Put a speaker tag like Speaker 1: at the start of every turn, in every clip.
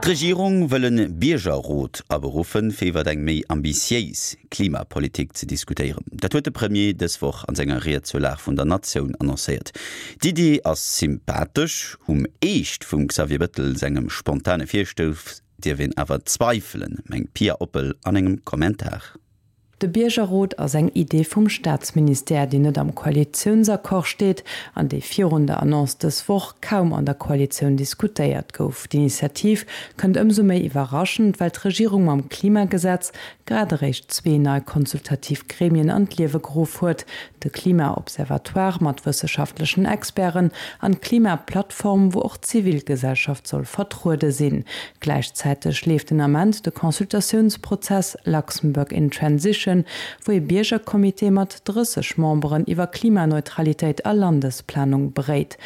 Speaker 1: D'Regierung wëll e Biergerrot aberuffen, fir iwwer eng méi ambitiéis Klimapolitik ze diskutéieren. Dat huet de Premier dës Woch an senger Ried zur Lag vun der Natioun annoncéiert. D'Iddi ass sympathesch, um Eescht vum Xavier Bettel sengem spontane Virstouss dierf een awer zweifelen, mengt d'Pia Oppel an engem Kommentar.
Speaker 2: De Biergerrot ass eng Idee vum Staatsministère, déi net am Koalitiounsaccord steet an déi virun der Annonce dës Woch kaum an der Koalitioun diskutéiert gouf. D'Initiativ kënnt ëmsou méi iwwerraschend, well d'Regierung mam Klimagesetz grad eréischt zwee nei konsultativ Gremien an d'Liewe geruff huet, de Klima-Observatoire mat wësseschaftlechen Experten an d'Klima-Plattform, wou och d'Zivilgesellschaft soll vertruede sinn. Gläichzäiteg leeft den Ament de Consultatiounsprozess Luxembourg in Transition, wou ee Biergercomité mat 30 Memberen iwwer Klimaneutralitéit a Landesplanung beréit.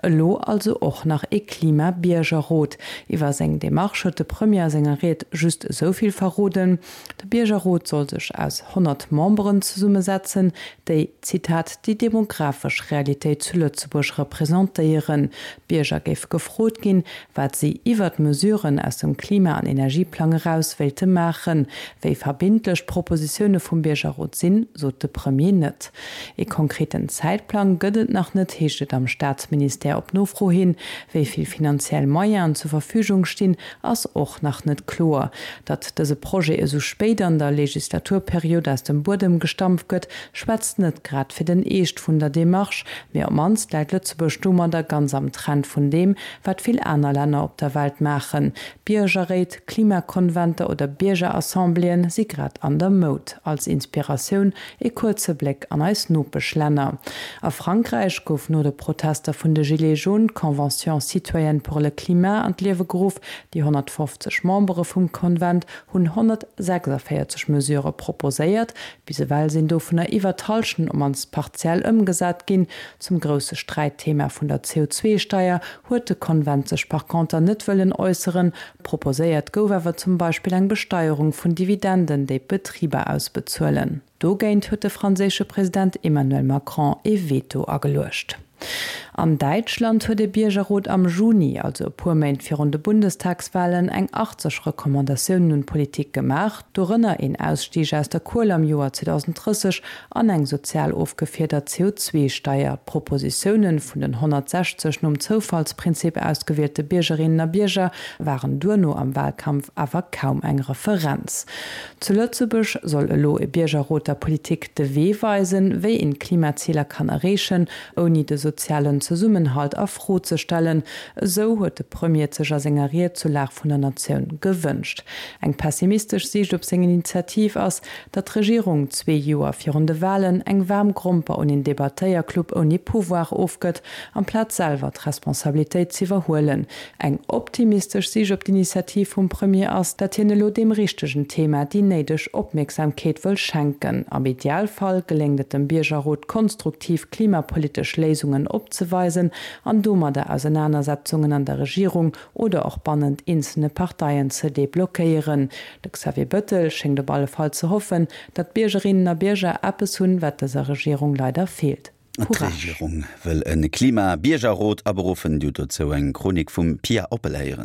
Speaker 2: Elo also och nach ee Klima-Biergerrot. Iwwer seng Demarche huet de Premier a senger Ried just esou vill verroden, De Biergerrot soll sech aus 100 Memberen zesummesetzen, déi, Zitat, déi demografesch Realitéit zu Lëtzebuerg representéieren. D'Bierger géife gefrot ginn, wat si iwwert d'Mesuren aus dem Klima an Energieplang eraus wéilte maachen. Wéi verbindlech d'Propositioune vum Biergerrot sinn, sot de Premier net. Ee konkreten Zäitplang gëtt et nach net, heescht et am Staatsministère op Nofro hin. Wéi vill finanziell Moyenen zur Verfügung stinn, ass och nach net kloer. Datt dëse Projet esou spéit an der Legislaturperiod aus dem Buedem gestampft gëtt, schwätzt net grad fir den Eescht vun der Demarche, mee op d'mannst läit Lëtzebuerg domadder ganz am Trend vun deem, wat vill aner Länner op der Welt maachen. Biergerréit, Klimakonventer oder Biergerassembléeën si grad an der Moud. Als Inspiratioun ee kuerze Bléck an eis Nopeschlänner. A Frankräich gouf no de Protester vun de Gilets jaunes d'Convention citoyenne pour le climat an d'Liewe geruff. Déi 150 Membere vum Konvent hunn 146 Mesurë proposéiert. Bis ewell sinn dovunner iwwer d'Hallschent op mannst partiell ëmgesat ginn. Zum grousse Sträitthema vun der CO2-Steier huet de Konvent sech par conter net wëllen äusseren. Proposéiert gouf awer zum Beispill eng Besteierung vun Dividenden, déi d'Betriber ausbezuelen. Dogéint huet de franséische President Emmanuel Macron ee Veto ageluecht. An Däitschland huet e Biergerrot am Juni, also e puer Méint virun de Bundestagswalen, eng 80 Recommandatiounen un d'Politik gemaach, dorënner een Ausstieg aus der Kuel am Joer 2030 an eng sozial ofgefiedert CO2-Steier. D'Propositioune vun den 160 nom Zoufallsprinzip ausgewielte Biergerinnen a Bierger waren duerno am Wahlkampf awer kaum eng Referenz. Zu Lëtzebuerg soll elo e Biergerrot der Politik de Wee weisen, wéi een d'Klimaziler kann erreechen, ouni de sozialen Zesummenhalt a Fro ze stellen. Esou huet de Premier et sech a senger Ried zur Lag vun der Natioun gewënscht. Eng pessimistesch Siicht op seng Initiativ ass, Datt d'Regierung zwee Joer virun de Walen eng waarm Gromper un een Debattéierclub ouni Pouvoir ofgëtt, amplaz selwer d'Responsabilitéit z'iwwerhuelen. Eng optimistesch Sich op d'Initiativ vum Premier ass, datt hien elo deem richtegen Thema déi néideg Opmierksamkeet wëll schenken. Am Idealfall geléngt et dem Biergerrot konstruktiv klimapolitesch Léisungen opzeweisen an domadder Ausenanersetzungen an der Regierung oder och bannent eenzelne Parteien ze deblockéieren. De Xavier Bettel schéngt op alle Fall ze hoffen, datt d'Biergerinnen a Bierger eppes hunn, wat dëser Regierung leider feelt, Courage.
Speaker 1: D'Regierung wëll e Klima-Biergerrot aberuffen. Dir hutt dozou eng Chronik vum Pia Oppel héieren.